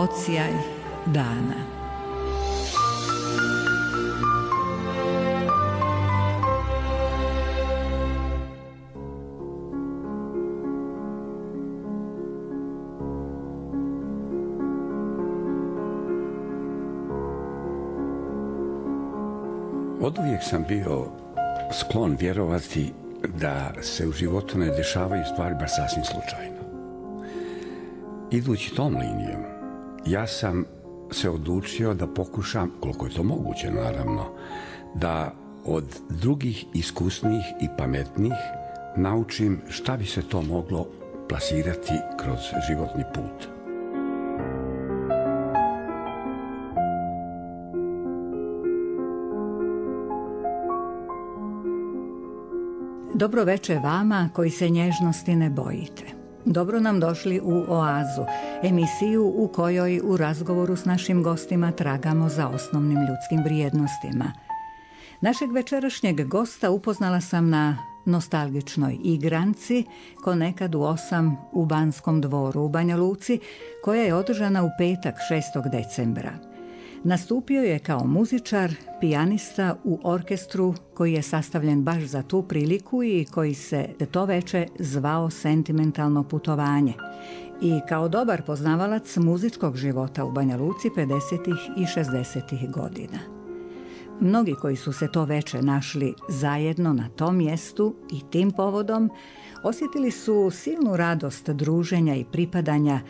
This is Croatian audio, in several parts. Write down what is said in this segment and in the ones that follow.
odsjaj dana. Oduvijek sam bio sklon vjerovati da se u životu ne dešavaju stvari bar sasvim slučajno. Idući tom linijom, ja sam se odlučio da pokušam, koliko je to moguće naravno, da od drugih iskusnih i pametnih naučim šta bi se to moglo plasirati kroz životni put. Dobro veče vama koji se nježnosti ne bojite. Dobro nam došli u Oazu, emisiju u kojoj u razgovoru s našim gostima tragamo za osnovnim ljudskim vrijednostima. Našeg večerašnjeg gosta upoznala sam na nostalgičnoj igranci ko nekad u 8 u Banskom dvoru u Banja Luci, koja je održana u petak 6. decembra. Nastupio je kao muzičar, pijanista u orkestru koji je sastavljen baš za tu priliku i koji se to veče zvao Sentimentalno putovanje. I kao dobar poznavalac muzičkog života u Banja Luci 50. i 60. godina. Mnogi koji su se to veče našli zajedno na tom mjestu i tim povodom osjetili su silnu radost druženja i pripadanja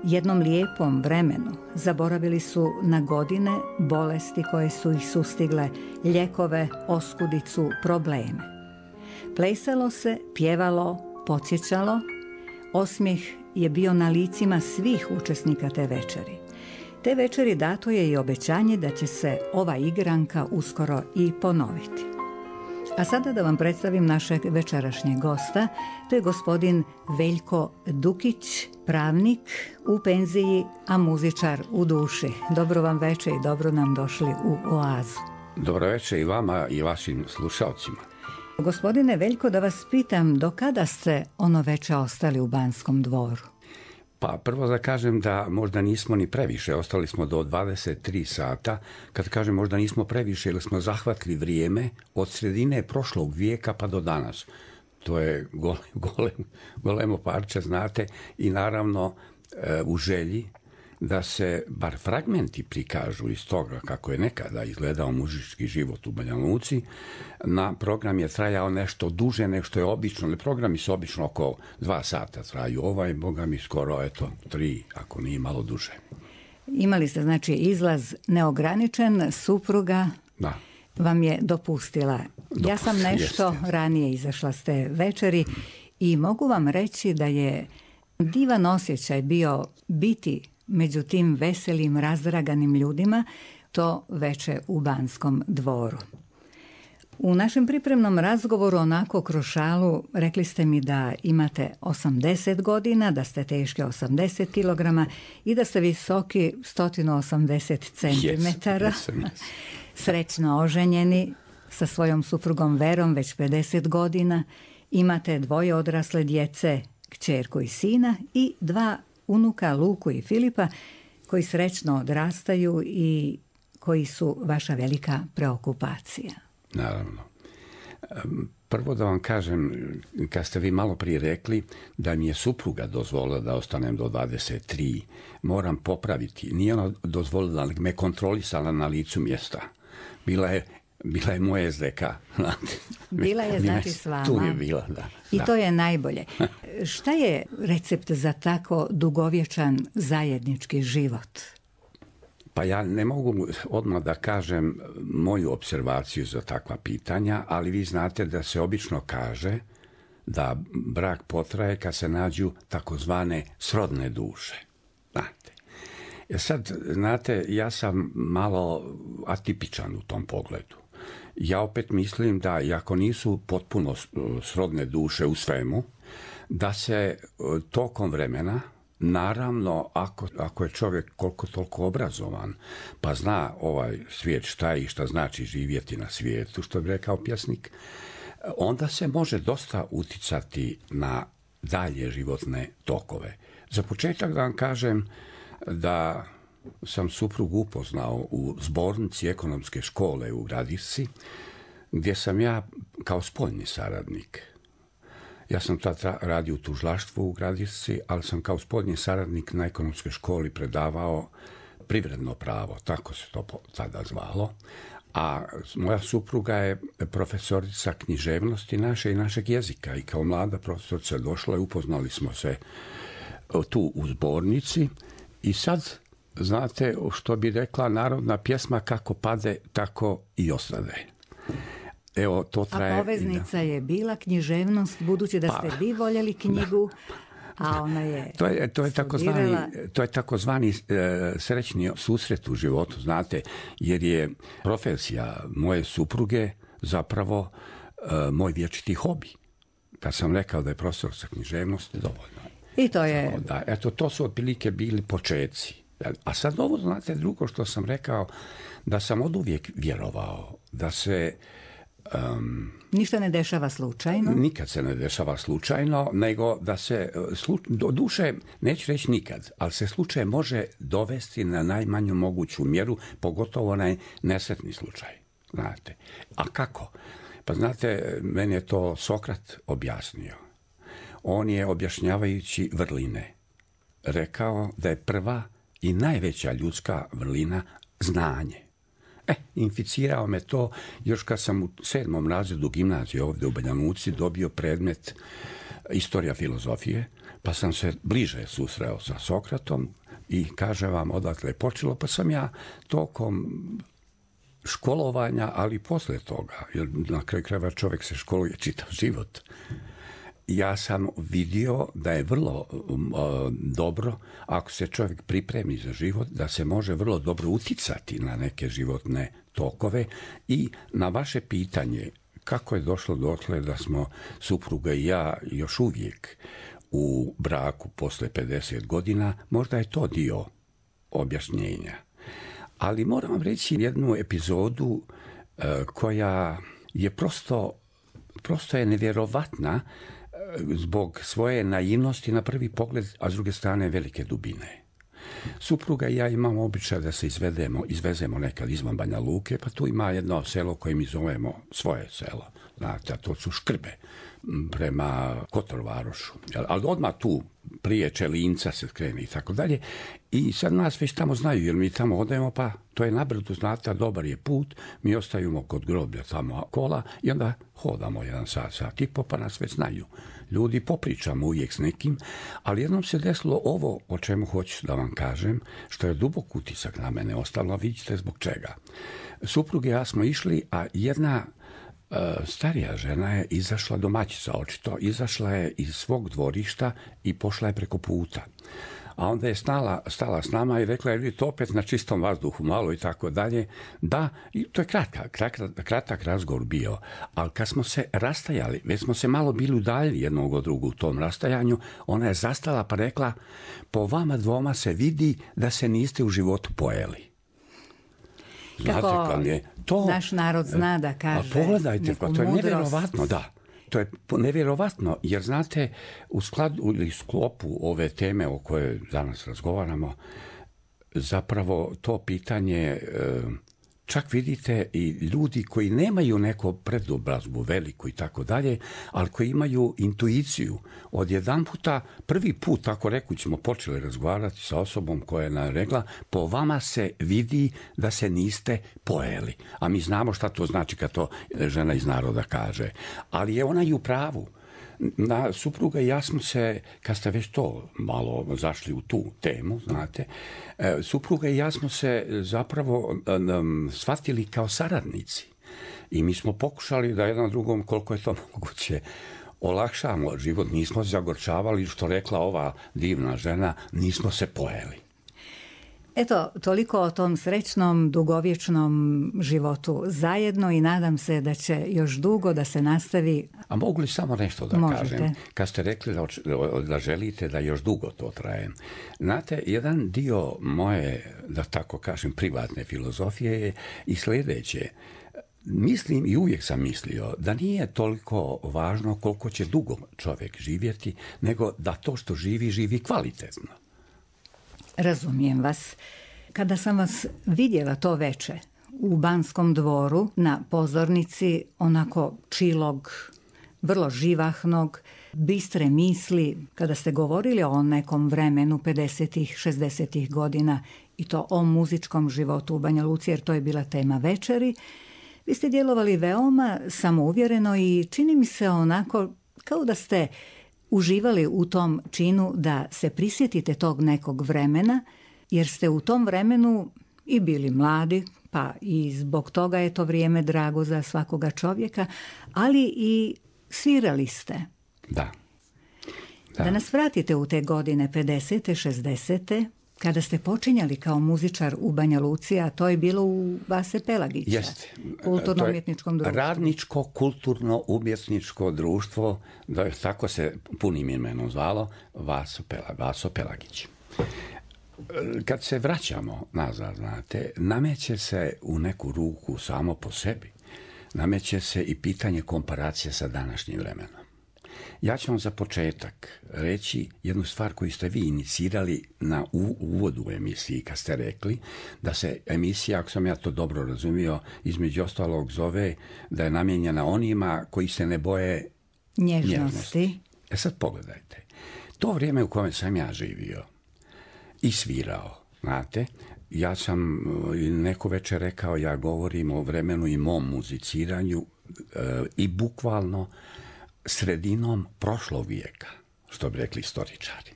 jednom lijepom vremenu. Zaboravili su na godine, bolesti koje su ih sustigle, lijekove, oskudicu, probleme. Plesalo se, pjevalo, podsjećalo. Osmijeh je bio na licima svih učesnika te večeri. Te večeri dato je i obećanje da će se ova igranka uskoro i ponoviti. A sada da vam predstavim našeg večerašnjeg gosta. To je gospodin Veljko Dukić, pravnik u penziji, a muzičar u duši. Dobro vam veče i dobro nam došli u Oazu. Dobro veče i vama i vašim slušalcima. Gospodine Veljko, da vas pitam, do kada ste ono veče ostali u Banskom dvoru? Pa prvo da kažem da možda nismo ni previše, ostali smo do 23 sata. Kad kažem možda nismo previše, jer smo zahvatili vrijeme od sredine prošlog vijeka pa do danas. To je golemo parče, znate, i naravno u želji da se bar fragmenti prikažu iz toga kako je nekada izgledao muzički život u Banja Luci. Na program je trajao nešto duže nego što je obično. Programi su obično oko 2 sata traju. Boga mi skoro, 3, ako nije malo duže. Imali ste, znači, izlaz neograničen, supruga vam je dopustila. Ja sam nešto ranije izašla s te večeri i mogu vam reći da je divan osjećaj bio biti među tim veselim, razdraganim ljudima to veče u Banskom dvoru. U našem pripremnom razgovoru, onako kroz šalu, rekli ste mi da imate 80 godina, da ste teški 80 kg i da ste visoki 180 cm. Yes. Srećno oženjeni sa svojom suprugom Verom već 50 godina. Imate 2 odrasle djece, kćerku i sina, i 2 unuka, Luku i Filipa, koji srećno odrastaju i koji su vaša velika preokupacija. Naravno. Prvo da vam kažem, kad ste vi malo prije rekli da mi je supruga dozvolila da ostanem do 23, moram popraviti. Nije ona dozvolila, ali me kontrolisala na licu mjesta. Bila je moja SDK. Bila je, znači, s vama. Tu je bila, da. I to je najbolje. Šta je recept za tako dugovječan zajednički život? Pa ja ne mogu odmah da kažem moju observaciju za takva pitanja, ali vi znate da se obično kaže da brak potraje kad se nađu takozvane srodne duše. Znate. Sad, znate, ja sam malo atipičan u tom pogledu. Ja opet mislim da, iako nisu potpuno srodne duše u svemu, da se tokom vremena, naravno, ako je čovjek koliko toliko obrazovan, pa zna ovaj svijet šta je i šta znači živjeti na svijetu, što bi rekao pjesnik, onda se može dosta uticati na dalje životne tokove. Za početak da vam kažem, da sam suprugu upoznao u zbornici ekonomske škole u Gradišci, gdje sam ja kao spoljni saradnik. Ja sam tad radio u tužilaštvu u Gradišci, ali sam kao spoljni saradnik na ekonomskoj školi predavao privredno pravo, tako se to tada zvalo. A moja supruga je profesorica književnosti naše i našeg jezika i kao mlada profesorica došla i upoznali smo se tu u zbornici i sad, znate što bi rekla narodna pjesma, kako pade, tako i ostade. Evo, to traje. A poveznica je bila književnost, budući da ste vi voljeli knjigu, a ona je to je takozvani srećni susret u životu, znate, jer je profesija moje supruge zapravo moj vječiti hobi. Kad sam rekao da je profesor sa književnosti, dovoljno. I to je... Da, eto, to su otprilike bili počeci. A sad ovo, znate, drugo što sam rekao, da sam oduvijek vjerovao da se... ništa ne dešava slučajno? Nikad se ne dešava slučajno, nego da se, do duše, neću reći nikad, ali se slučaj može dovesti na najmanju moguću mjeru, pogotovo onaj nesretni slučaj. Znate. A kako? Pa znate, meni je to Sokrat objasnio. On je, objašnjavajući vrline, rekao da je prva i najveća ljudska vrlina znanje. Inficirao me to još kad sam u 7. razredu gimnazije ovdje u Banja Luci dobio predmet istorija filozofije, pa sam se bliže susreo sa Sokratom i kažem vam odatle je počelo, pa sam ja tokom školovanja, ali poslije toga, jer na kraju krajeva čovjek se školuje čitav život, ja sam vidio da je vrlo dobro, ako se čovjek pripremi za život, da se može vrlo dobro uticati na neke životne tokove. I na vaše pitanje kako je došlo dotle da smo supruga i ja još uvijek u braku posle 50 godina, možda je to dio objašnjenja. Ali moram vam reći jednu epizodu koja je prosto je nevjerovatna zbog svoje naivnosti na prvi pogled, a s druge strane velike dubine. Supruga i ja imamo običaj da se izvezemo nekad izvan Banja Luke, pa tu ima jedno selo koje mi zovemo svoje selo. Znate, a to su Škrbe prema Kotorvarošu. Ali odmah tu prije Čelinca se krene i tako dalje. I sad nas već tamo znaju, jer mi tamo odemo, pa to je nabrdo, znate, dobar je put, mi ostajemo kod groblja tamo kola i onda hodamo 1 sat i po, pa nas već znaju. Ljudi, popričamo uvijek s nekim, ali jednom se desilo ovo o čemu hoću da vam kažem, što je dubok utisak na mene ostalo, a vidite zbog čega. Supruge i ja smo išli, a jedna starija žena je izašla, domaćica očito, izašla je iz svog dvorišta i pošla je preko puta. A onda je stala s nama i rekla je, vidite, opet na čistom vazduhu malo i tako dalje. Da, i to je kratak razgovor bio, ali kad smo se rastajali, već smo se malo bili udaljili jednog od drugog u tom rastajanju, ona je zastala pa rekla, po vama dvoma se vidi da se niste u životu pojeli. Kako naš narod zna da kaže. A pogledajte, to je nevjerovatno, da. To je nevjerovatno, jer znate, u sklopu ove teme o kojoj danas razgovaramo, zapravo to pitanje, čak vidite i ljudi koji nemaju neku predobrazbu veliku i tako dalje, ali koji imaju intuiciju. Odjedanputa, prvi put, tako rekući, smo počeli razgovarati sa osobom koja je nam rekla, po vama se vidi da se niste pojeli. A mi znamo šta to znači kad to žena iz naroda kaže. Ali je ona i u pravu. Na supruga i ja smo se, kad ste već to malo zašli u tu temu, znate, supruga i ja smo se zapravo shvatili kao saradnici. I mi smo pokušali da jedan drugom, koliko je to moguće, olakšamo život. Nismo se zagorčavali, što rekla ova divna žena, nismo se pojeli. Eto, toliko o tom srećnom, dugovječnom životu zajedno i nadam se da će još dugo da se nastavi. A mogu li samo nešto da Možete. kažem? Kad ste rekli da želite da još dugo to traje. Znate, jedan dio moje, da tako kažem, privatne filozofije je i sljedeće. Mislim i uvijek sam mislio da nije toliko važno koliko će dugo čovjek živjeti, nego da to što živi kvalitetno. Razumijem vas. Kada sam vas vidjela to veče u Banskom dvoru na pozornici, onako čilog, vrlo živahnog, bistre misli, kada ste govorili o nekom vremenu 50-ih, 60-ih godina i to o muzičkom životu u Banja Luci, jer to je bila tema večeri, vi ste djelovali veoma samouvjereno i čini mi se onako kao da ste uživali u tom činu da se prisjetite tog nekog vremena, jer ste u tom vremenu i bili mladi, pa i zbog toga je to vrijeme drago za svakoga čovjeka, ali i svirali ste. Da. Da nas vratite u te godine 50. 60. kada ste počinjali kao muzičar u Banja Luci, a to je bilo u Vase Pelagića. Jeste. Kulturno-umjetničkom društvu. Radničko kulturno-umjetničko društvo, tako se punim imenom zvalo, Vaso Pelagić. Kad se vraćamo nazad, znate, nameće se u neku ruku samo po sebi. Nameće se i pitanje komparacije sa današnjim vremenom. Ja ću vam za početak reći jednu stvar koju ste vi inicirali na uvodu u emisiji, kad ste rekli da se emisija, ako sam ja to dobro razumio, između ostalog zove da je namijenjena onima koji se ne boje nježnosti. Sad pogledajte. To vrijeme u kojem sam ja živio i svirao, znate, ja sam neko večer rekao, ja govorim o vremenu i mom muziciranju i bukvalno sredinom prošlog vijeka, što bi rekli istoričari.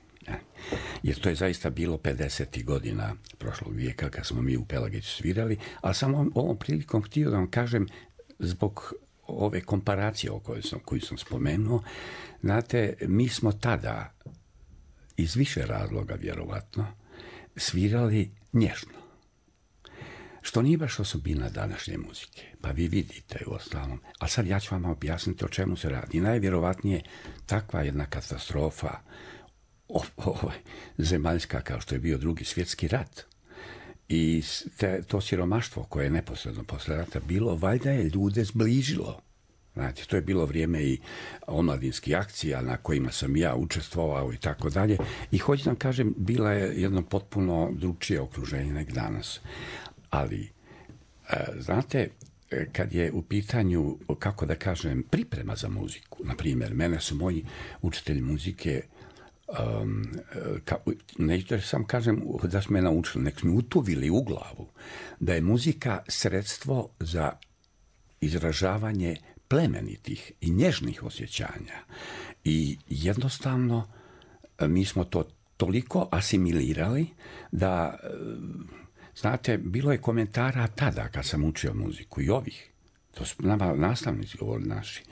Jer to je zaista bilo 50. godina prošlog vijeka kad smo mi u Pelagiću svirali, ali sam ovom prilikom htio da vam kažem zbog ove komparacije koju sam spomenuo, znate, mi smo tada iz više razloga vjerovatno svirali nježno. Što nije baš osobina današnje muzike. Pa vi vidite u ostalom. A sad ja ću vam objasniti o čemu se radi. Najvjerovatnije takva jedna katastrofa zemaljska kao što je bio Drugi svjetski rat i to siromaštvo koje je neposredno posle rata bilo, valjda je ljude zbližilo. Znači, to je bilo vrijeme i omladinskih akcija na kojima sam ja učestvovao i tako dalje. I hoću da kažem, bila je jedno potpuno drugčije okruženje nek danas. Ali, znate, kad je u pitanju, kako da kažem, priprema za muziku, na primjer, mene su moji učitelji muzike, neću da sam kažem da su me naučili, nek su mi utuvili u glavu, da je muzika sredstvo za izražavanje plemenitih i nježnih osjećanja. I jednostavno mi smo to toliko asimilirali da, znate, bilo je komentara tada kad sam učio muziku i ovih, to su nama nastavnici govorili naši.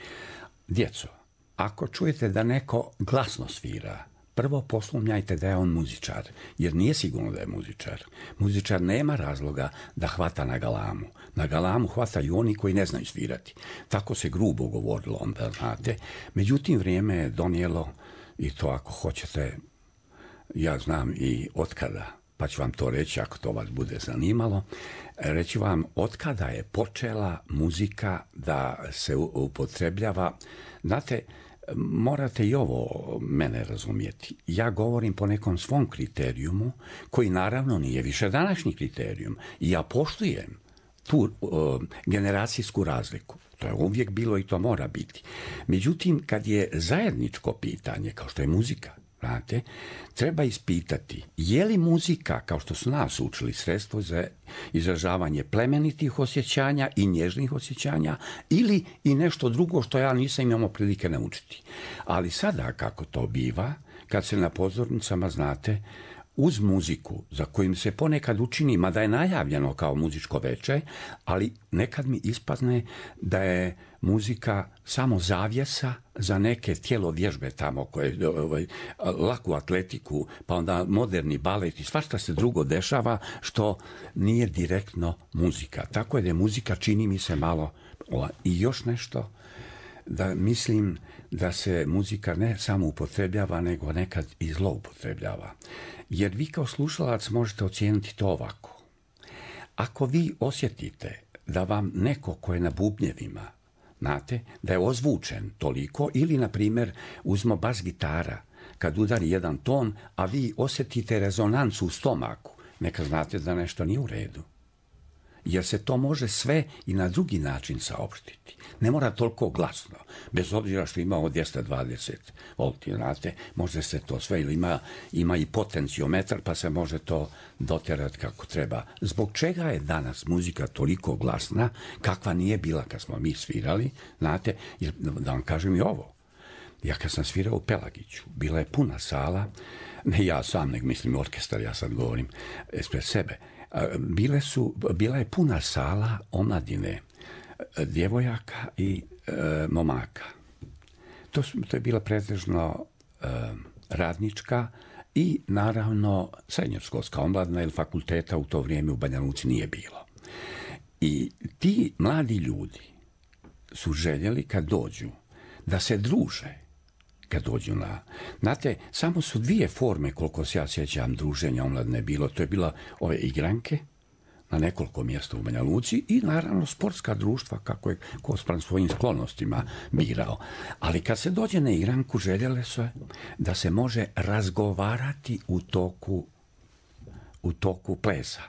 Djeco, ako čujete da neko glasno svira, prvo posumnjajte da je on muzičar, jer nije sigurno da je muzičar. Muzičar nema razloga da hvata na galamu. Na galamu hvataju oni koji ne znaju svirati. Tako se grubo govorilo onda, znate. Međutim, vrijeme je donijelo, i to ako hoćete, ja znam i otkada, pa ću vam to reći ako to vas bude zanimalo, reći vam otkada je počela muzika da se upotrebljava. Znate, morate i ovo mene razumjeti. Ja govorim po nekom svom kriterijumu, koji naravno nije više današnji kriterijum. I ja poštujem tu generacijsku razliku. To je uvijek bilo i to mora biti. Međutim, kad je zajedničko pitanje, kao što je muzika, znate, treba ispitati je li muzika, kao što su nas učili, sredstvo za izražavanje plemenitih osjećanja i nježnih osjećanja ili i nešto drugo što ja nisam imao prilike naučiti. Ali sada, kako to biva, kad se na pozornicama, znate, uz muziku, za kojim se ponekad učini, mada je najavljeno kao muzičko veče, ali nekad mi ispadne da je muzika samo zavjesa za neke tjelovježbe tamo, koje laku atletiku, pa onda moderni balet i svašta se drugo dešava što nije direktno muzika. Tako je da je muzika, čini mi se, malo. I još nešto, da mislim da se muzika ne samo upotrebljava, nego nekad i zloupotrebljava. Jer vi kao slušalac možete ocijeniti to ovako. Ako vi osjetite da vam neko ko je na bubnjevima, znate, da je ozvučen toliko, ili, na primjer, uzmo bas gitara, kad udari jedan ton, a vi osjetite rezonancu u stomaku, neka znate da nešto nije u redu. Jer se to može sve i na drugi način saopštiti. Ne mora toliko glasno, bez obzira što ima od 220 volti, znate, može se to sve, ili ima i potenciometar, pa se može to doterati kako treba. Zbog čega je danas muzika toliko glasna, kakva nije bila kad smo mi svirali, znate, jer, da vam kažem i ovo, ja kad sam svirao u Pelagiću, bila je puna sala, ne ja sam, nego mislim orkestar, ja sad govorim ispred sebe, bila je puna sala omladine, djevojaka i momaka. To je bila pretežno radnička i naravno srednjoškolska omladina, jer fakulteta u to vrijeme u Banja Luci nije bilo. I ti mladi ljudi su željeli kad dođu da se druže, kad dođu na... Znate, samo su dvije forme, koliko se ja sjećam, druženja omladine bilo. To je bila ove igranke na nekoliko mjesta u Banja Luci i naravno sportska društva, kako je ko spram svojim sklonostima birao. Ali kad se dođe na igranku, željele su da se može razgovarati u toku plesa.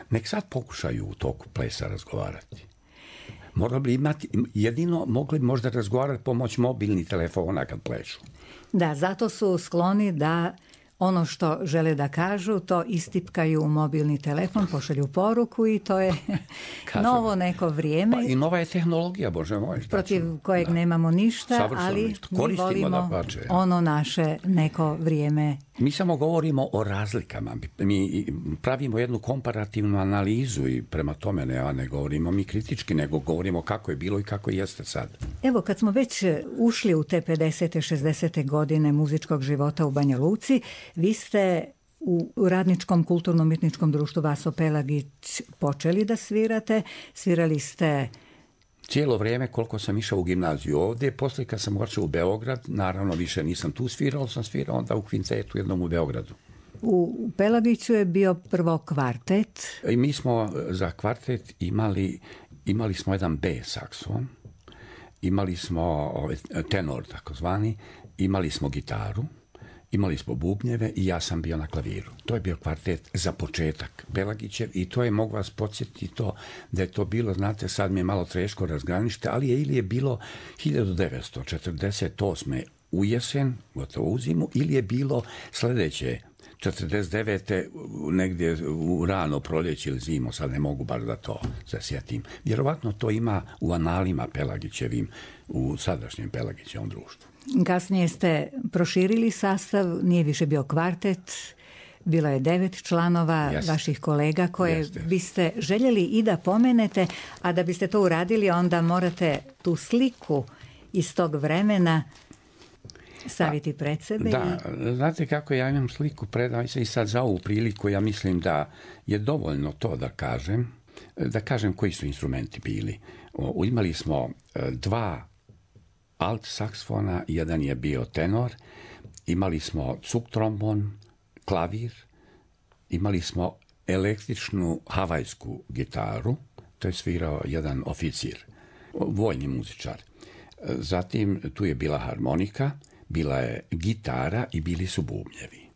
Nek sad pokušaju u toku plesa razgovarati. Morali bi imati, jedino mogli možda razgovarati pomoć mobilnih telefona kad plešu. Da, zato su skloni da ono što žele da kažu, to istipkaju u mobilni telefon, pošalju poruku i to je novo neko vrijeme. Pa i nova je tehnologija, Bože moj. Protiv kojeg nemamo ništa, ali mi volimo ono naše neko vrijeme. Mi samo govorimo o razlikama. Mi pravimo jednu komparativnu analizu i prema tome ne govorimo mi kritički, nego govorimo kako je bilo i kako jeste sad. Evo, kad smo već ušli u te 50. 60. godine muzičkog života u Banja Luci, vi ste u Radničkom kulturno-umjetničkom društvu Vaso Pelagić počeli da svirate. Svirali ste cijelo vrijeme koliko sam išao u gimnaziju ovdje. Poslije kad sam otišao u Beograd, naravno više nisam tu svirao, sam svirao onda u kvintetu jednom u Beogradu. U Pelagiću je bio prvo kvartet. I mi smo za kvartet imali smo jedan B saksofon, imali smo tenor takozvani, imali smo gitaru, imali smo bubnjeve i ja sam bio na klaviru. To je bio kvartet za početak Pelagićev i to je, mogu vas podsjetiti to, da je to bilo, znate, sad mi je malo teško razgraničiti, ali ili je bilo 1948. u jesen, gotovo u zimu, ili je bilo sljedeće 49. negdje u rano proljeće ili zimu, sad ne mogu baš da to se sjetim. Vjerovatno to ima u analima Pelagićevim, u sadašnjem Pelagićevom društvu. Kasnije ste proširili sastav, nije više bio kvartet, bilo je 9 članova vaših kolega koje biste željeli i da pomenete, a da biste to uradili onda morate tu sliku iz tog vremena staviti pred sebe. Da, znate kako ja imam sliku predam se i sad za ovu priliku, ja mislim da je dovoljno to da kažem koji su instrumenti bili. Imali smo 2 alt saksofona, jedan je bio tenor, imali smo cuk trombon, klavir, imali smo električnu havajsku gitaru, to je svirao jedan oficir, vojni muzičar. Zatim tu je bila harmonika, bila je gitara i bili su bubnjevi.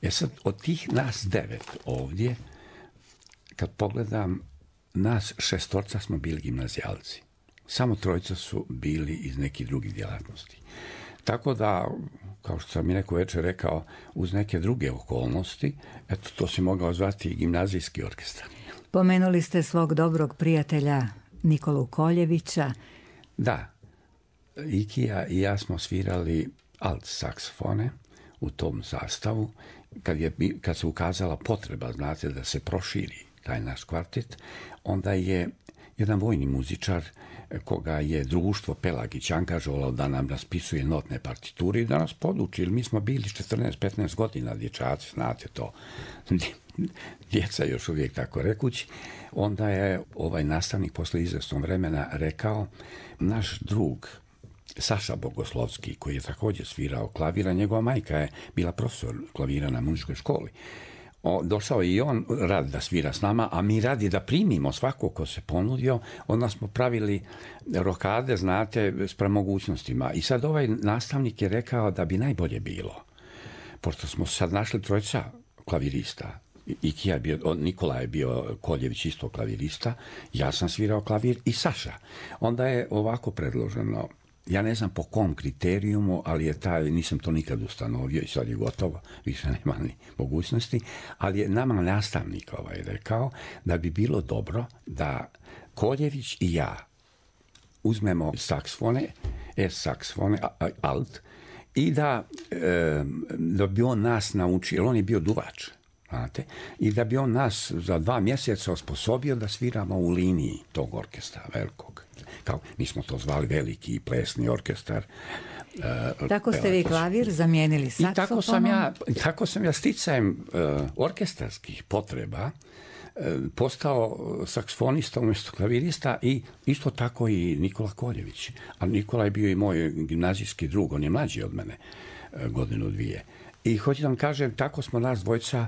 Sad, od tih nas 9 ovdje, kad pogledam, nas 6 smo bili gimnazijalci. Samo 3 su bili iz nekih drugih djelatnosti. Tako da, kao što sam mi neko večer rekao, uz neke druge okolnosti, eto, to si mogao zvati gimnazijski orkestar. Pomenuli ste svog dobrog prijatelja Nikolu Koljevića. Da, Ikija i ja smo svirali alt saksofone u tom sastavu. Kad se ukazala potreba, znate, da se proširi taj naš kvartet, onda je jedan vojni muzičar koga je društvo Pelagić angažovalo da nam raspisuje notne partiture i da nas poduči, jer mi smo bili 14-15 godina dječaci, znate to, djeca još uvijek tako rekući. Onda je ovaj nastavnik posle izvjesnog vremena rekao, naš drug Saša Bogoslovski, koji je također svirao klavira, njegova majka je bila profesor klavira na muzičkoj školi. Došao je i on radi da svira s nama, a mi radi da primimo svakog ko se ponudio. Onda smo pravili rokade, znate, s premogućnostima. I sad ovaj nastavnik je rekao da bi najbolje bilo pošto smo sad našli trojica klavirista, Nikola je bio Koljević isto klavirista, ja sam svirao klavir i Saša. Onda je ovako predloženo, ja ne znam po kom kriterijumu, ali je nisam to nikad ustanovio i sad je gotovo, više nema ni mogućnosti, ali je nama nastavnik rekao da bi bilo dobro da Koljević i ja uzmemo saksfone, saksfone, alt, i da bi on nas naučio, jer on je bio duvač, znate, i da bi on nas za 2 mjeseca osposobio da sviramo u liniji tog orkestra velikog. Kao, mi smo to zvali veliki plesni orkestar. Tako ste vi klavir zamijenili saksofonom? I tako sam ja sticajem orkestarskih potreba postao saksofonista umjesto klavirista i isto tako i Nikola Koljević. A Nikola je bio i moj gimnazijski drug, on je mlađi od mene, 1-2. I hoću da vam kažem, tako smo nas dvojica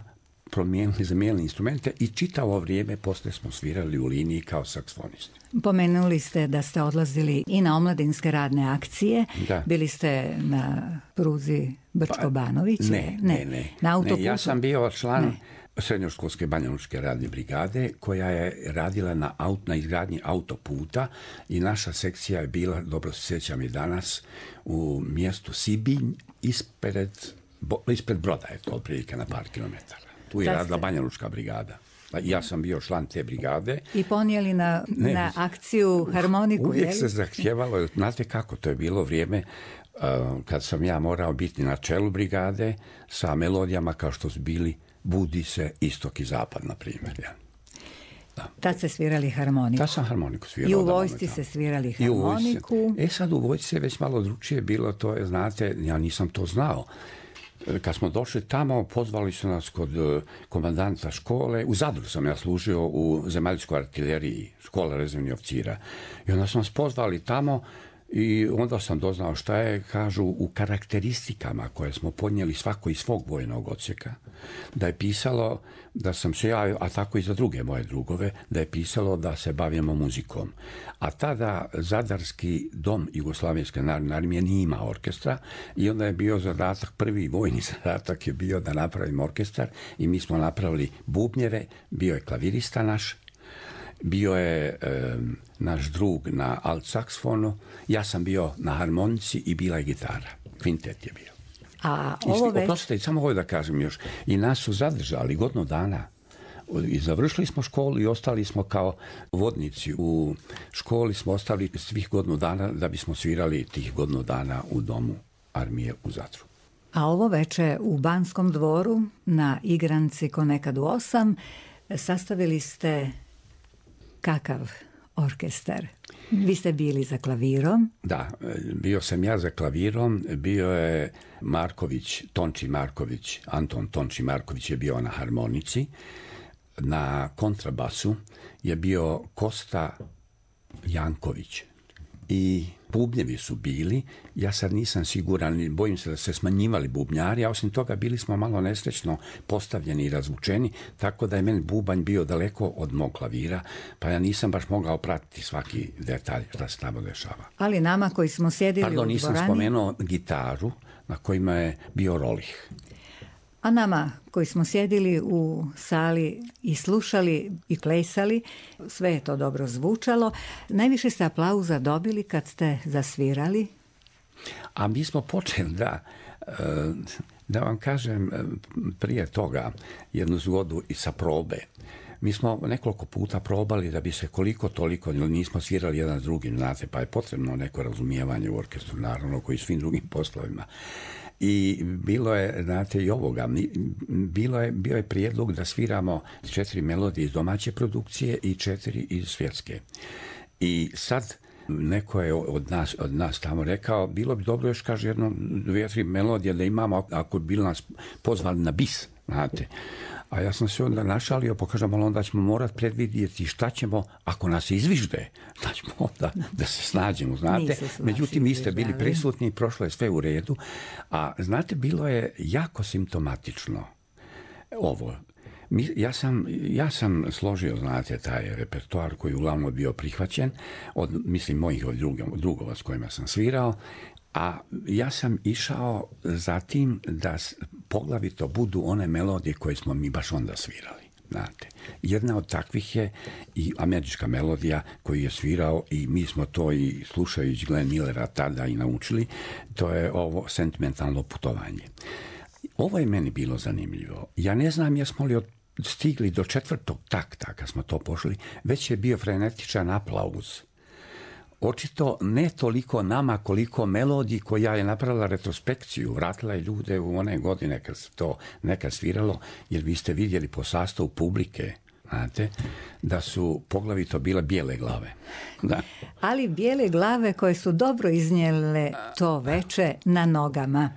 zamijenili instrumente i čitavo vrijeme poslije smo svirali u liniji kao saksofonisti. Pomenuli ste da ste odlazili i na omladinske radne akcije. Da. Bili ste na pruzi Brčko-Banović? Ne. Na autoputu? Ja sam bio član srednjoškolske banjalučke radne brigade koja je radila na izgradnji autoputa i naša sekcija je bila, dobro se sjećam i danas, u mjestu Sibinj ispred Broda, je to otprilike na par kilometara. Tu je radila banjalučka brigada. Ja sam bio član te brigade. I ponijeli na akciju harmoniku, uvijek se zahtjevalo, znate kako, to je bilo vrijeme kad sam ja morao biti na čelu brigade sa melodijama kao što su bili Budi se istok i zapad, na primjer. Ja. Da. Tad ste svirali harmoniku. Tad sam harmoniku svirao. I u vojsci se svirali harmoniku. Sad u vojsci je već malo drugčije bilo, to je, znate, ja nisam to znao. Kad smo došli tamo, pozvali su nas kod komandanta škole. U Zadru sam ja služio u zemaljskoj artileriji, škola rezervnih oficira. I onda su nas pozvali tamo i onda sam doznao šta je, kažu, u karakteristikama koje smo podnijeli svako iz svog vojnog odsjeka, da je pisalo da sam se ja, a tako i za druge moje drugove, da je pisalo da se bavimo muzikom. A tada Zadarski dom Jugoslavenske narodne armije nije imao orkestra i onda je bio zadatak, prvi vojni zadatak je bio da napravimo orkestar i mi smo napravili bubnjeve, bio je klavirista naš, bio je naš drug na alt saksofonu, ja sam bio na harmonici i bila je gitara. Kvintet je bio. Oprostite, samo ovo da kažem još. I nas su zadržali 1 dana. I završili smo školu i ostali smo kao vodnici. U školi smo ostali svih 1 dana da bismo svirali tih 1 dana u domu armije u Zadru. A ovo veče u Banskom dvoru na igranci ko nekad u 8 sastavili ste kakav orkestar? Vi ste bili za klavirom? Da, bio sam ja za klavirom, bio je Tonči Marković, Anton Tonči Marković je bio na harmonici, na kontrabasu je bio Kosta Janković i bubnjevi su bili, ja sad nisam siguran, bojim se da se smanjivali bubnjari, a osim toga bili smo malo nesrećno postavljeni i razvučeni, tako da je meni bubanj bio daleko od mog klavira, pa ja nisam baš mogao pratiti svaki detalj šta se tamo dešava. Ali nama koji smo sjedili u dvorani... nisam spomenuo gitaru na kojima je bio Rolih. A nama koji smo sjedili u sali i slušali i plesali, sve je to dobro zvučalo. Najviše ste aplauza dobili kad ste zasvirali? A mi smo počeli, da vam kažem prije toga jednu zgodu i sa probe. Mi smo nekoliko puta probali da bi se koliko toliko, nismo svirali jedan s drugim, znate, pa je potrebno neko razumijevanje u orkestru, naravno, koji svim drugim poslovima. I bilo je, znate, i ovoga, bio je prijedlog da sviramo 4 melodije iz domaće produkcije i 4 iz svjetske. I sad neko je od nas tamo rekao, bilo bi dobro još, kaže, 2-3 melodije da imamo, ako bi bili nas pozvali na bis, znate. A ja sam se onda našalio, pokažem, ali onda ćemo morati predvidjeti šta ćemo, ako nas izvižde, šta ćemo onda da se snađemo, znate. Međutim, vi ste bili prisutni, prošlo je sve u redu, a znate, bilo je jako simptomatično ovo. Ja sam složio, znate, taj repertoar koji uglavnom bio prihvaćen, od mojih drugova s kojima sam svirao, A ja sam išao za tim da poglavito budu one melodije koje smo mi baš onda svirali. Znate. Jedna od takvih je i američka melodija koju je svirao i mi smo to i slušajući Glenn Millera tada i naučili, to je ovo Sentimentalno putovanje. Ovo je meni bilo zanimljivo. Ja ne znam jesmo li stigli do 4. takta kad smo to pošli, već je bio frenetičan aplauz. Očito ne toliko nama koliko melodiji koja je napravila retrospekciju, vratila je ljude u one godine kad se to nekad sviralo, jer vi ste vidjeli po sastavu publike, znate, da su poglavito bile bijele glave. Da. Ali bijele glave koje su dobro iznijele to veče na nogama.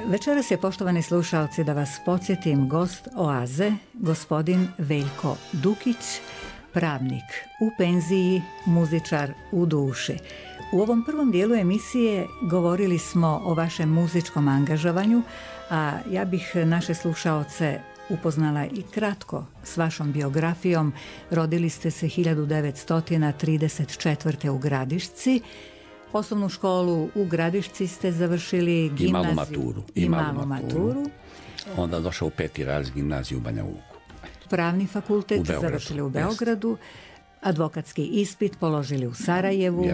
Večeras je, poštovani slušalci, da vas podsjetim, gost Oaze, gospodin Veljko Dukić, pravnik u penziji, muzičar u duši. U ovom prvom dijelu emisije govorili smo o vašem muzičkom angažovanju, a ja bih naše slušaoce upoznala i kratko s vašom biografijom. Rodili ste se 1934. u Gradišci. Osnovnu školu u Gradišci ste završili, gimnaziju i malu maturu. Onda došao u 5. razred gimnaziju u Banja Luku. Pravni fakultet završili u Beogradu. Advokatski ispit položili u Sarajevu.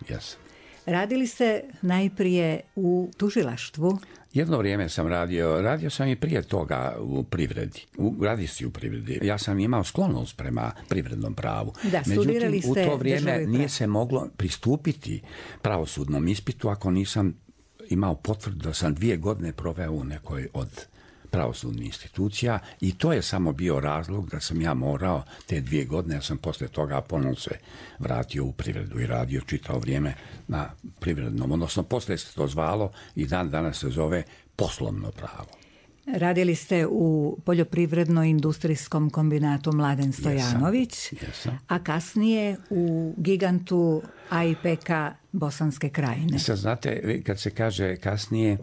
Jesam. Radili ste najprije u tužilaštvu. Jedno vrijeme sam radio sam i prije toga u privredi, u privredi. Ja sam imao sklonost prema privrednom pravu. Da, studirali ste. U to vrijeme nije se moglo pristupiti pravosudnom ispitu ako nisam imao potvrdu da sam 2 godine proveo u nekoj od pravosudnih institucija i to je samo bio razlog da sam ja morao te 2 godine, ja sam posle toga ponovno se vratio u privredu i radio čitavo vrijeme na privrednom, odnosno posle se to zvalo i dan danas se zove poslovno pravo. Radili ste u poljoprivredno-industrijskom kombinatu Mladen Stojanović, a kasnije u gigantu AIPK Bosanske Krajine. Sad znate, kad se kaže kasnije,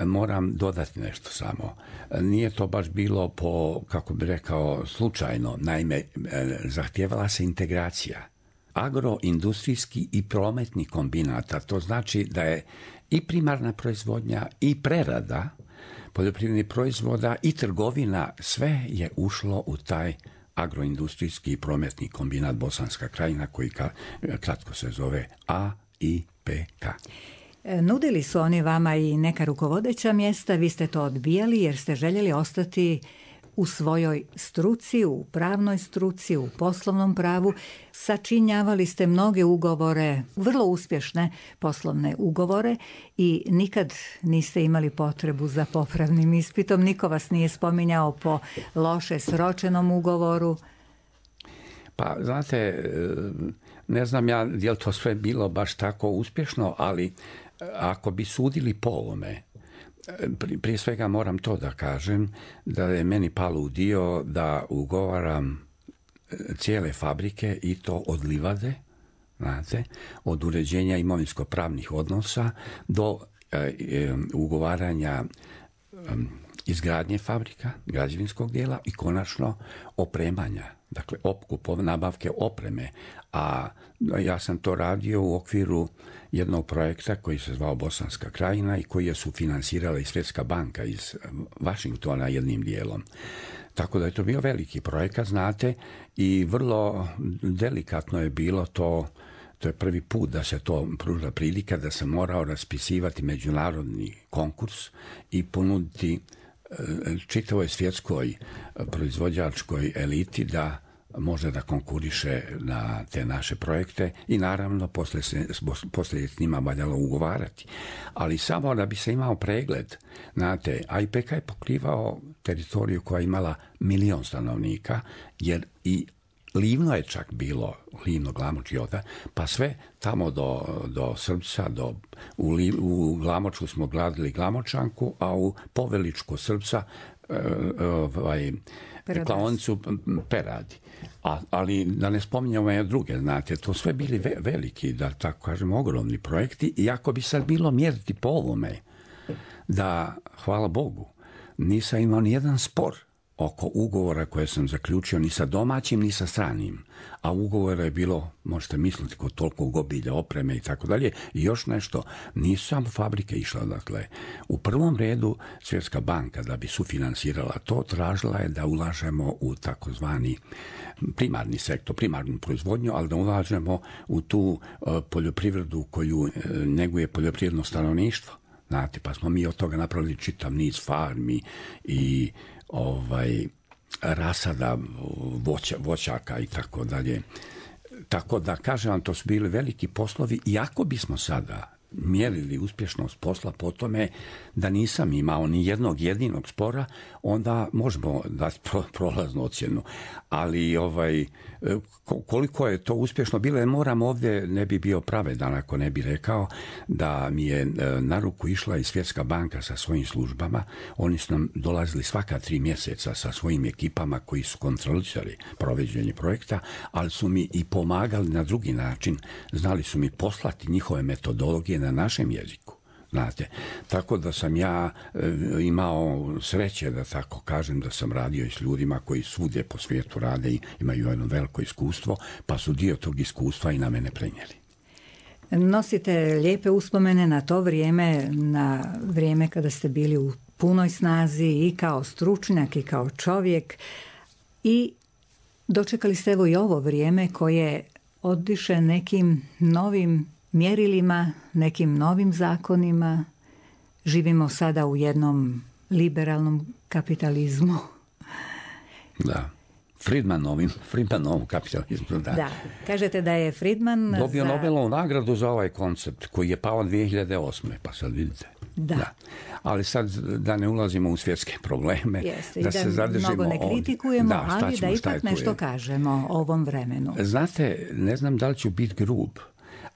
moram dodati nešto samo. Nije to baš bilo po, kako bi rekao, slučajno. Naime, zahtijevala se integracija agroindustrijski i prometni kombinata. To znači da je i primarna proizvodnja i prerada poljoprivrednih proizvoda i trgovina, sve je ušlo u taj agroindustrijski i prometni kombinat Bosanska Krajina, koji kratko se zove AIPK. Nudili su oni vama i neka rukovodeća mjesta, vi ste to odbijali jer ste željeli ostati u svojoj struci, u pravnoj struci, u poslovnom pravu. Sačinjavali ste mnoge ugovore, vrlo uspješne poslovne ugovore i nikad niste imali potrebu za popravnim ispitom. Niko vas nije spominjao po loše sročenom ugovoru. Pa, znate, ne znam ja je li to sve bilo baš tako uspješno, ali ako bi sudili po ovome, prije svega moram to da kažem, da je meni palo u dio da ugovaram cijele fabrike i to od livade, znate, od uređenja imovinsko-pravnih odnosa do ugovaranja izgradnje fabrika, građevinskog dijela i konačno opremanja, dakle nabavke opreme. A ja sam to radio u okviru jednog projekta koji se zvao Bosanska krajina i koji je sufinansirala i Svjetska banka iz Vašingtona jednim dijelom. Tako da je to bio veliki projekat, znate, i vrlo delikatno je bilo to. To je prvi put da se to pruža prilika da sam morao raspisivati međunarodni konkurs i ponuditi čitavoj svjetskoj proizvođačkoj eliti da može da konkuriše na te naše projekte i naravno poslije s njima valjalo ugovarati. Ali samo da bi se imao pregled, znate, IPK je pokrivao teritoriju koja je imala 1 000 000 stanovnika, jer i Livno je čak bilo, Livno, Glamoč i Oda, pa sve tamo do Srbca, u Glamoču smo gradili Glamočanku, a u Poveličku Srbca klaonicu Peradi. Ali da ne spominjamo druge, znate, to sve bili veliki, da tako kažem, ogromni projekti i ako bi sad bilo mjeriti po ovome, da, hvala Bogu, nisam imao ni jedan spor oko ugovora koje sam zaključio ni sa domaćim ni sa stranim, a ugovora je bilo, možete misliti, kod toliko obilja, opreme i tako dalje. I još nešto, nisu samo fabrike išle, dakle, u prvom redu Svjetska banka da bi sufinansirala to, tražila je da ulažemo u takozvani primarni sektor, primarnu proizvodnju, ali da ulažemo u tu poljoprivredu koju neguje poljoprivredno stanovništvo. Znate, pa smo mi od toga napravili čitav niz farmi i rasada voćaka i tako dalje. Tako da, kažem vam, to su bili veliki poslovi i ako bismo sada mjerili uspješnost posla po tome da nisam imao ni jednog jedinog spora, onda možemo dati prolaznu ocjenu. Ali koliko je to uspješno bilo, moram ovdje, ne bi bio pravedan ako ne bi rekao da mi je na ruku išla i Svjetska banka sa svojim službama. Oni su nam dolazili svaka 3 mjeseca sa svojim ekipama koji su kontrolisali provođenje projekta, ali su mi i pomagali na drugi način. Znali su mi poslati njihove metodologije na našem jeziku. Znate, tako da sam ja imao sreće, da tako kažem, da sam radio i s ljudima koji svugdje po svijetu rade i imaju jedno veliko iskustvo, pa su dio tog iskustva i na mene prenijeli. Nosite lijepe uspomene na to vrijeme, na vrijeme kada ste bili u punoj snazi i kao stručnjak i kao čovjek i dočekali ste evo i ovo vrijeme koje oddiše nekim novim mjerilima, nekim novim zakonima. Živimo sada u jednom liberalnom kapitalizmu. Da. Friedmanovom kapitalizmu. Da, kažete da je Friedman dobio Nobelovu nagradu za ovaj koncept koji je pao 2008. Pa sad vidite. Da. Ali sad da ne ulazimo u svjetske probleme, da se zadržimo mnogo ne kritikujemo, ali da ipak nešto kažemo o ovom vremenu. Znate, ne znam da li ću biti grub,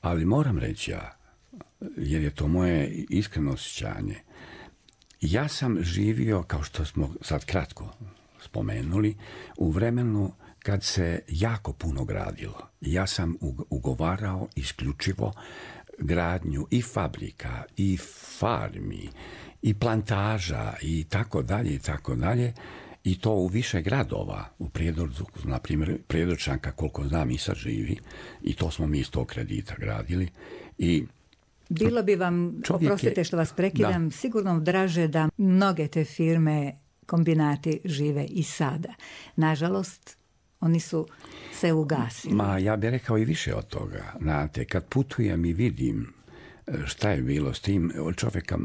ali moram reći ja, jer je to moje iskreno osjećanje. Ja sam živio, kao što smo sad kratko spomenuli, u vremenu kad se jako puno gradilo. Ja sam ugovarao isključivo gradnju i fabrika, i farmi, i plantaža, i tako dalje, i tako dalje. I to u više gradova, u Prijedorcu, na primjer, Prijedorčanka, koliko znam, i sad živi, i to smo mi iz tog kredita gradili. I bilo bi vam, oprostite što vas prekidam, sigurno draže da mnoge te firme, kombinati žive i sada. Nažalost, oni su se ugasili. Ja bih rekao i više od toga. Znate, kad putujem i vidim šta je bilo s tim, od čovjeka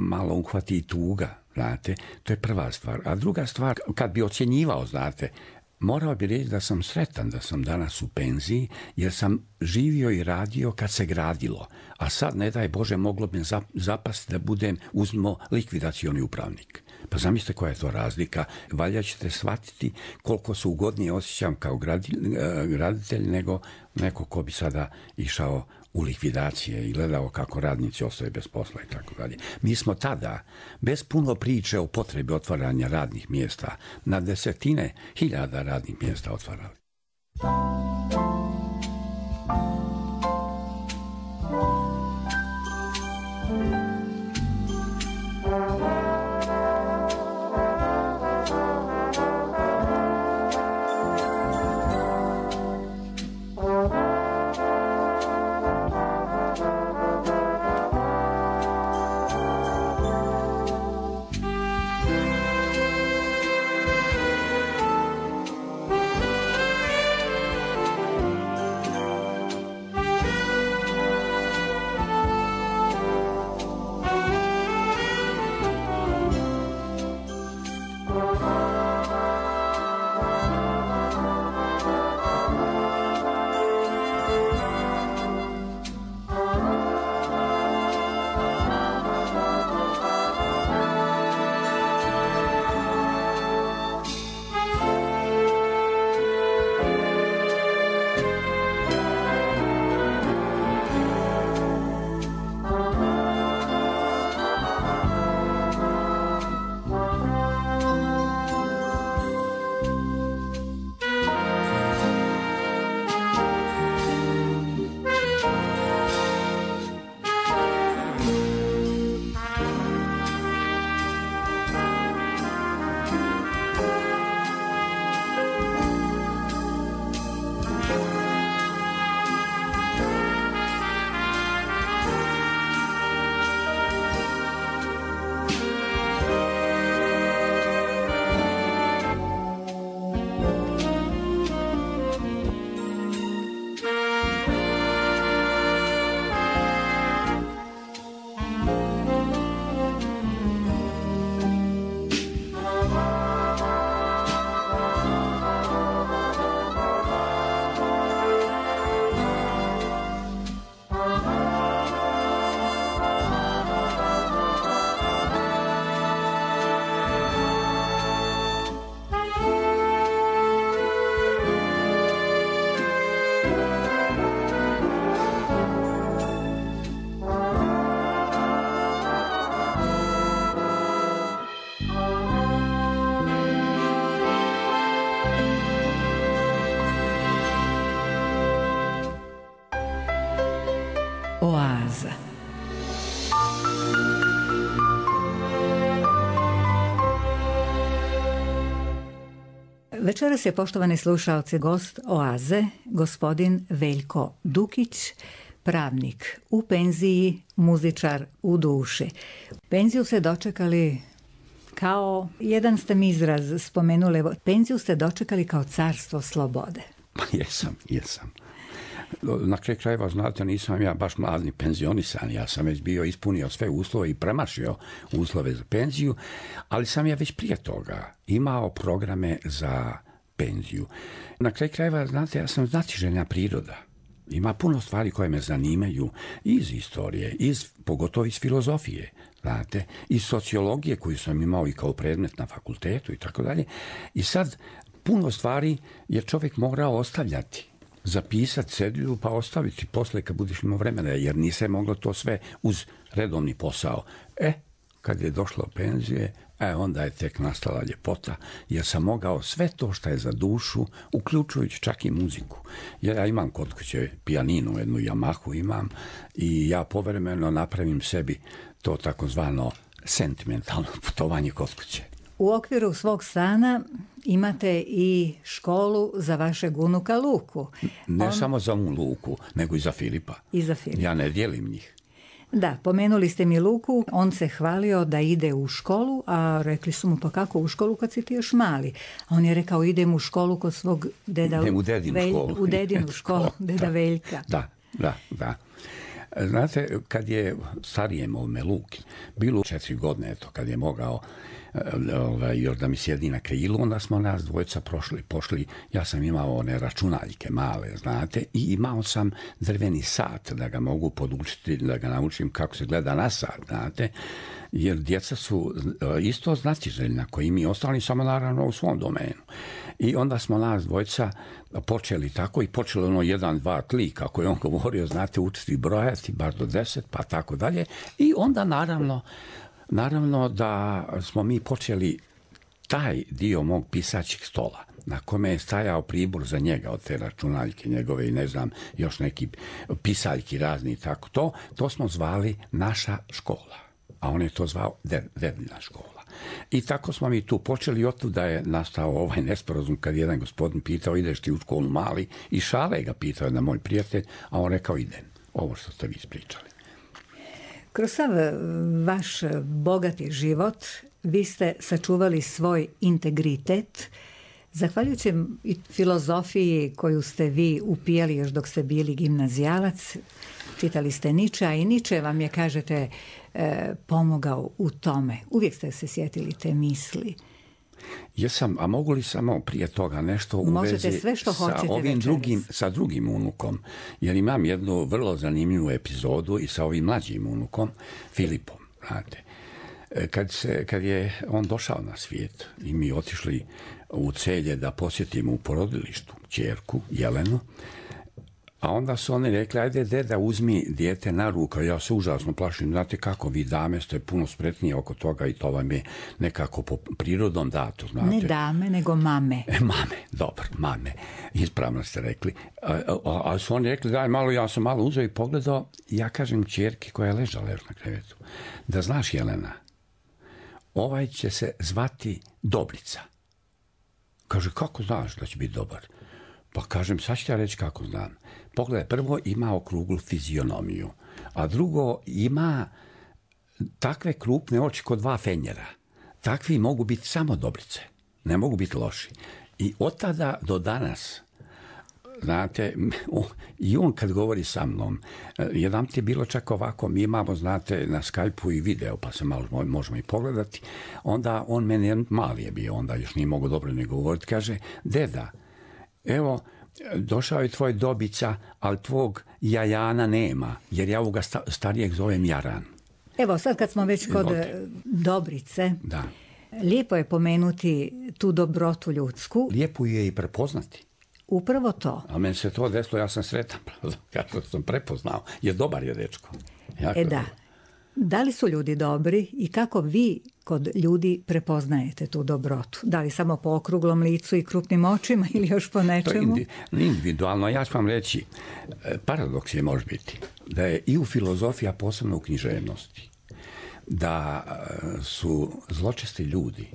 malo uhvati tuga, znate, to je prva stvar. A druga stvar, kad bi ocjenjivao, znate, morao bi reći da sam sretan da sam danas u penziji, jer sam živio i radio kad se gradilo. A sad, ne daj Bože, moglo bi zapasti da budem, uzmimo, likvidacioni upravnik. Pa zamislite koja je to razlika. Valjda ćete shvatiti koliko se ugodnije osjećam kao graditelj nego neko ko bi sada išao u likvidacije i gledao kako radnici ostaju bez posla i tako dalje. Mi smo tada, bez puno priče o potrebi otvaranja radnih mjesta, na desetine hiljada radnih mjesta otvarali. Oaza. Večeras je, poštovani slušaoci, gost Oaze, gospodin Veljko Dukić, pravnik u penziji, muzičar u duši. Penziju ste dočekali kao, jedan ste mi izraz spomenuli, penziju ste dočekali kao carstvo slobode. Jesam. Na kraju krajeva, znate, nisam ja baš mladni penzionisan, ja sam već bio ispunio sve uslove i premašio uslove za penziju, ali sam ja već prije toga imao programe za penziju. Na kraju krajeva, znate, ja sam znatiželjna priroda. Ima puno stvari koje me zanimaju iz istorije, pogotovo iz filozofije, znate, iz sociologije koju sam imao i kao predmet na fakultetu i tako dalje. I sad puno stvari je čovjek morao ostavljati, zapisati cedulju pa ostaviti posle kad budeš imao vremena, jer nije moglo to sve uz redovni posao. Kad je došlo penzije, onda je tek nastala ljepota, jer sam mogao sve to što je za dušu, uključujući čak i muziku. Jer ja imam kod kuće pijaninu, jednu Yamahu imam, i ja povremeno napravim sebi to takozvano sentimentalno putovanje kod kuće. U okviru svog stana imate i školu za vašeg unuka Luku. Ne samo za Luku, nego i za Filipa. Ja ne dijelim njih. Da, pomenuli ste mi Luku, on se hvalio da ide u školu, a rekli su mu, pa kako u školu kad si ti još mali? A on je rekao, idem u školu kod svog deda. Idem u dedinu školu. U dedinu školu, deda Veljka. Da. Znate, kad je starijem ovome Luki, bilo 4 godine, eto, kad je mogao još da mi sjedi na krilu, onda smo nas dvojica pošli, ja sam imao one računaljke male, znate, i imao sam drveni sat da ga mogu podučiti, da ga naučim kako se gleda na sat, znate, jer djeca su isto znatiželjna koji mi ostali, samo naravno u svom domenu. I onda smo nas dvojica počeli tako i počelo 1, 2, 3, kako je on govorio, znate, učiti brojati, bar do 10, pa tako dalje. I onda naravno da smo mi počeli taj dio mog pisaćeg stola, na kome je stajao pribor za njega od te računaljke njegove i ne znam, još neki pisaljki razni i tako to smo zvali naša škola. A on je to zvao Dedina škola. I tako smo mi tu počeli, otuda je nastao ovaj nesporazum kad jedan gospodin pitao ideš ti u školu mali i šale ga pitao na moj prijatelj, a on rekao idem, ovo što ste vi ispričali. Kroz sav vaš bogati život vi ste sačuvali svoj integritet, zahvaljujući i filozofiji koju ste vi upijali još dok ste bili gimnazijalac. Čitali ste Ničea i Niče vam je, kažete, pomogao u tome. Uvijek ste se sjetili te misli. Jesam, a mogu li samo prije toga nešto u Možete vezi sve što hoćete sa drugim unukom? Jer imam jednu vrlo zanimljivu epizodu i sa ovim mlađim unukom, Filipom, znate. Kad je on došao na svijet i mi otišli u Celje da posjetimo u porodilištu ćerku Jelenu, a onda su oni rekli, ajde deda uzmi dijete na ruku, ja se užasno plašim, znate kako, vi dame ste puno spretnije oko toga i to vam je nekako po prirodom dato, znate. Ne dame, nego mame. Mame, dobro, mame, ispravno ste rekli. A su oni rekli, daj malo, ja sam malo uzeo i pogledao, ja kažem ćerki koja je ležala na krevetu, da znaš Jelena, ovaj će se zvati Dobrica. Kaže, kako znaš da će biti dobar? Pa kažem, sad ću ja reći kako znam. Pogledaj, prvo ima okruglu fizionomiju, a drugo ima takve krupne oči kod 2 fenjera. Takvi mogu biti samo Dobrice, ne mogu biti loši. I od tada do danas, znate, i on kad govori sa mnom, jedan ti je bilo čak ovako, mi imamo, znate, na Skype-u i video, pa se malo možemo i pogledati, onda on meni, mali je bio, onda još nije mogo dobro ni govoriti, kaže, deda, evo, došao je tvoj Dobica, ali tvog Jajana nema, jer ja ovoga starijeg zovem Jaran. Evo, sad kad smo već kod Dobrice, da. Lijepo je pomenuti tu dobrotu ljudsku. Lijepo je i prepoznati. Upravo to. A meni se to desilo, ja sam sretan, kako sam prepoznao, jer dobar je dečko. Da. Da li su ljudi dobri i kako vi kod ljudi prepoznajete tu dobrotu? Da li samo po okruglom licu i krupnim očima ili još po nečemu? To je individualno. Ja ću vam reći, paradoks je može biti da je i u filozofiji, a posebno u književnosti, da su zločesti ljudi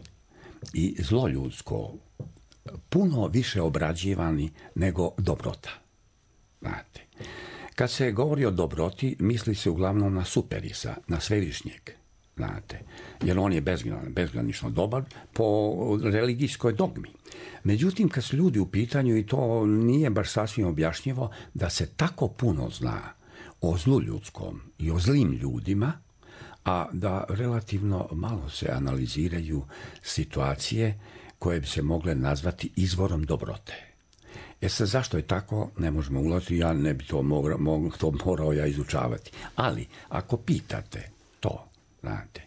i zlo ljudsko puno više obrađivani nego dobrota. Znate, kad se govori o dobroti, misli se uglavnom na Superisa, na Svevišnjeg, znate, jer on je bezgranično dobar po religijskoj dogmi. Međutim, kad su ljudi u pitanju, i to nije baš sasvim objašnjivo, da se tako puno zna o zlu ljudskom i o zlim ljudima, a da relativno malo se analiziraju situacije koje bi se mogle nazvati izvorom dobrote. Sad, zašto je tako, ne možemo ulaziti, ja ne bi to morao ja izučavati. Ali, ako pitate to, znate,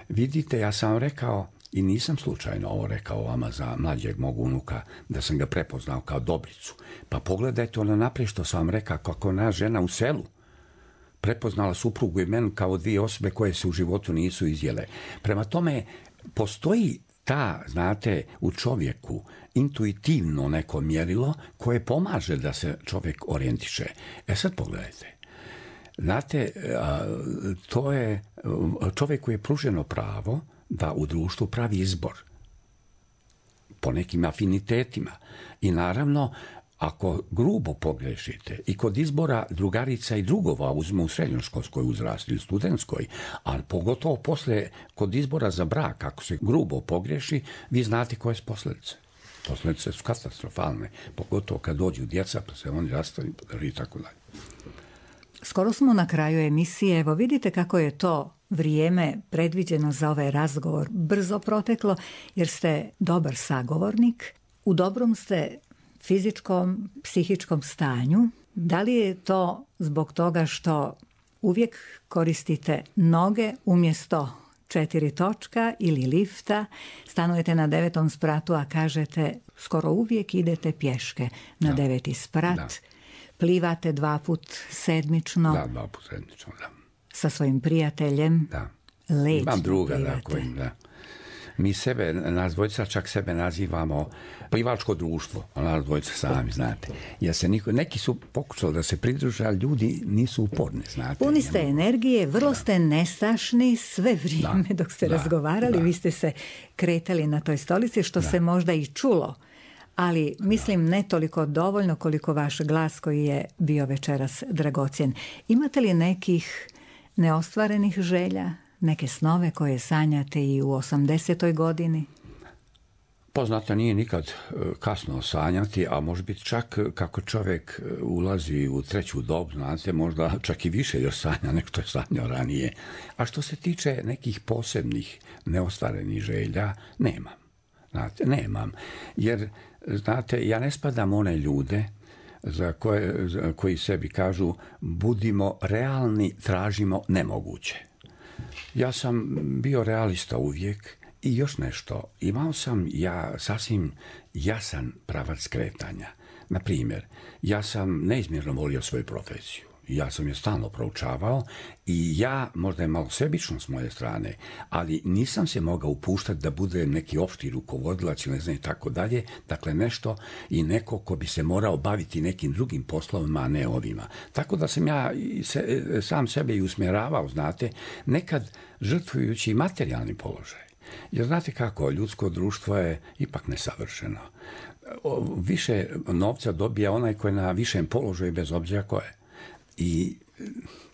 vidite, ja sam rekao, i nisam slučajno ovo rekao vama za mlađeg mog unuka, da sam ga prepoznao kao Dobricu. Pa pogledajte ono naprijed što sam vam rekao, kako ona žena u selu prepoznala suprugu i mene kao 2 osobe koje se u životu nisu izjele. Prema tome, postoji ta, znate, u čovjeku intuitivno neko mjerilo koje pomaže da se čovjek orijentiše. Sad pogledajte. Znate, to je, čovjeku je pruženo pravo da u društvu pravi izbor po nekim afinitetima. I naravno, ako grubo pogrešite i kod izbora drugarica i drugova uzmu u srednjoškolskoj uzrasti ili studentskoj, ali pogotovo poslije kod izbora za brak, ako se grubo pogreši, vi znate koje su posljedice. Posljedice su katastrofalne, pogotovo kad dođu djeca, pa se oni rastaju i tako dalje. Skoro smo na kraju emisije. Evo vidite kako je to vrijeme predviđeno za ovaj razgovor brzo proteklo, jer ste dobar sagovornik. U dobrom ste fizičkom, psihičkom stanju. Da li je to zbog toga što uvijek koristite noge umjesto 4 točka ili lifta, stanujete na 9. spratu, a kažete skoro uvijek idete pješke na 9. sprat, plivate 2 put sedmično. Da, 2 put sedmično, da. Sa svojim prijateljem. Da. Lečno imam druga, plivate. Da, kojim, da. Mi sebe, nas dvojica čak sebe nazivamo plivačko društvo, nas dvojica sami, znate. Jer se neki su pokušali da se pridruže, ali ljudi nisu uporni, znate. Puni ste energije, vrlo ste nestašni sve vrijeme dok ste razgovarali. Vi ste se kretali na toj stolici, što se možda i čulo. Ali mislim ne toliko dovoljno koliko vaš glas koji je bio večeras dragocjen. Imate li nekih neostvarenih želja? Neke snove koje sanjate i u 80. godini? Poznato nije nikad kasno sanjati, a može biti čak kako čovjek ulazi u treću dobu, znate, možda čak i više još sanja nego što je sanjao ranije. A što se tiče nekih posebnih neostvarenih želja, nemam. Znate, nemam. Jer, znate, ja ne spadam one ljude koji sebi kažu budimo realni, tražimo nemoguće. Ja sam bio realista uvijek i još nešto. Imao sam sasvim jasan pravac kretanja. Na primjer, ja sam neizmjerno volio svoju profesiju. Ja sam je stalno proučavao i možda je malo sebično s moje strane, ali nisam se mogao upuštati da budem neki opšti rukovodilac ili ne znam i tako dalje. Dakle, nešto i neko ko bi se morao baviti nekim drugim poslovima, a ne ovima. Tako da sam ja sam sebe i usmjeravao, znate, nekad žrtvujući materijalni položaj. Jer znate kako, ljudsko društvo je ipak nesavršeno. Više novca dobija onaj koji je na višem položaju bez obzira ko je. I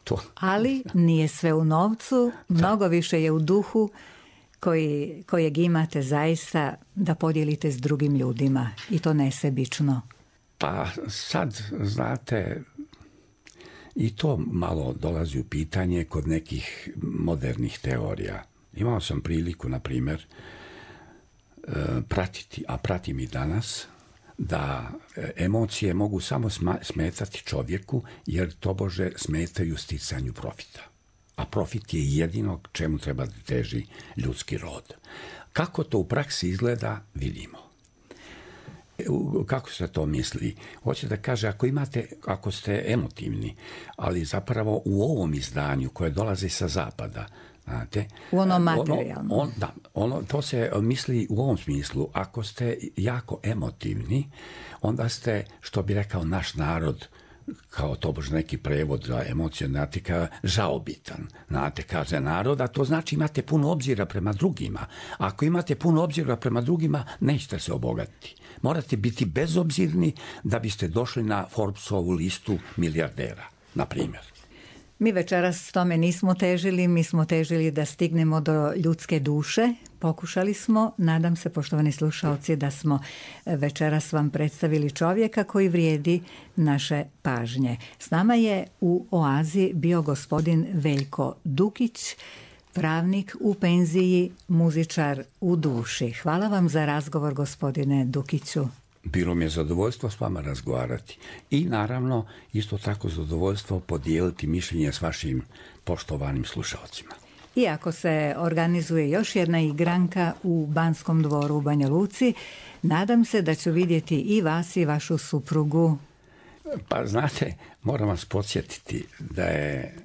to. Ali nije sve u novcu, mnogo više je u duhu kojeg imate zaista da podijelite s drugim ljudima i to nesebično. Pa sad, znate, i to malo dolazi u pitanje kod nekih modernih teorija. Imao sam priliku, na primjer, pratiti, a pratim i danas, da emocije mogu samo smetati čovjeku jer tobože smetaju sticanju profita. A profit je jedino čemu treba da teži ljudski rod. Kako to u praksi izgleda, vidimo. Kako se to misli? Hoće da kaže, ako ste emotivni, ali zapravo u ovom izdanju koje dolazi sa zapada, znate, u onom materijalnom. To se misli u ovom smislu. Ako ste jako emotivni, onda ste, što bi rekao naš narod, kao tobož neki prevod za emocije, znate, žaobitan. Znate, kaže narod, a to znači imate puno obzira prema drugima. Ako imate puno obzira prema drugima, nećete se obogatiti. Morate biti bezobzirni da biste došli na Forbesovu listu milijardera, na primjer. Mi večeras tome nismo težili, mi smo težili da stignemo do ljudske duše. Pokušali smo, nadam se, poštovani slušalci, da smo večeras vam predstavili čovjeka koji vrijedi naše pažnje. S nama je u Oazi bio gospodin Veljko Dukić, pravnik u penziji, muzičar u duši. Hvala vam za razgovor, gospodine Dukiću. Bilo mi je zadovoljstvo s vama razgovarati i naravno isto tako zadovoljstvo podijeliti mišljenje s vašim poštovanim slušalcima. Iako se organizuje još jedna igranka u Banskom dvoru u Banja Luci, nadam se da ću vidjeti i vas i vašu suprugu. Pa znate, moram vas podsjetiti da je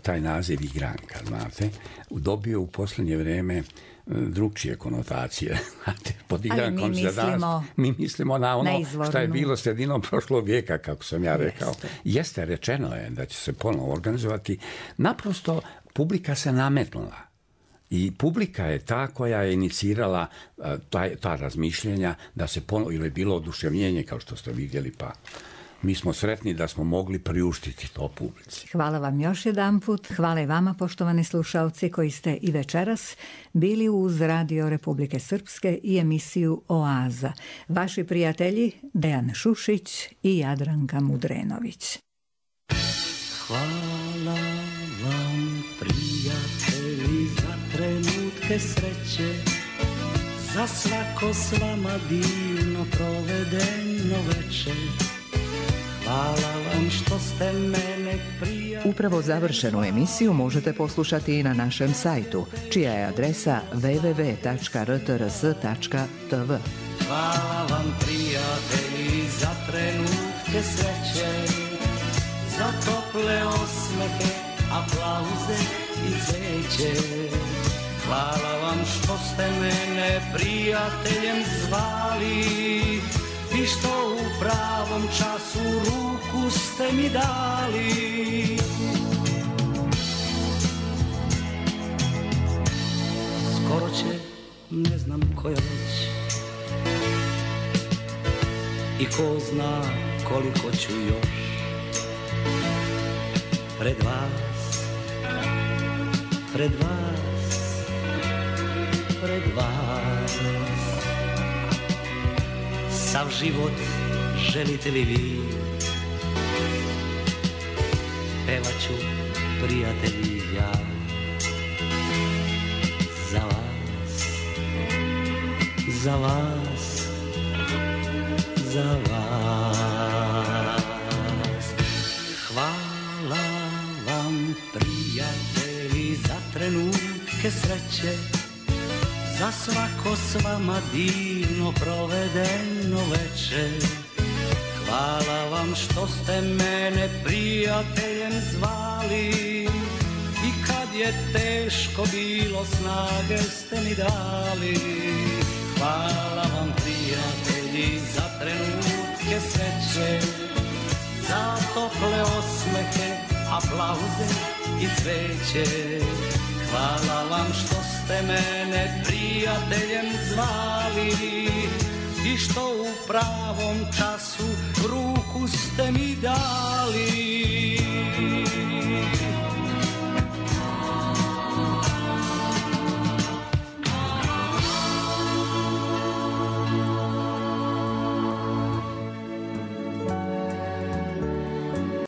taj naziv igranka, znate, dobio u posljednje vrijeme drugčije konotacije. Pod igrankom mi mislimo na ono što je bilo sredinom prošlog vijeka, kako sam ja rekao. Jeste, rečeno je da će se ponovo organizovati. Naprosto, publika se nametnula. I publika je ta koja je inicirala ta razmišljenja da se ponovo, ili je bilo oduševljenje, kao što ste vidjeli, pa mi smo sretni da smo mogli priuštiti to publici. Hvala vam još jedanput. Hvala i vama, poštovani slušalci, koji ste i večeras bili uz Radio Republike Srpske i emisiju Oaza. Vaši prijatelji Dejan Šušić i Jadranka Mudrenović. Hvala vam prijatelji za trenutke sreće, za svako s vama divno provedeno večer. Hvala vam što ste mene prijatelji. Upravo završenu emisiju možete poslušati i na našem sajtu, čija je adresa www.rtrs.tv. Hvala vam prijatelji za trenutke sreće, za tople osmehe, aplauze i cveće. Hvala vam što ste mene prijateljem zvali i što u pravom času ruku ste mi dali. Skoro će, ne znam koja već, i ko zna koliko ću još pred vas, pred vas, pred vas. Sav život želite li vi, pevat ću prijatelji ja za vas, za vas, za vas. Hvala vam prijatelji za trenutke sreće, za svako s vama divno provedeno večer. Hvala vam što ste mene prijateljem zvali i kad je teško bilo snage ste mi dali. Hvala vam prijatelji za trenutke sreće, za tople osmehe, aplauze i cveće. Hvala vam što ste mene prijateljem zvali i što u pravom času ruku ste mi dali.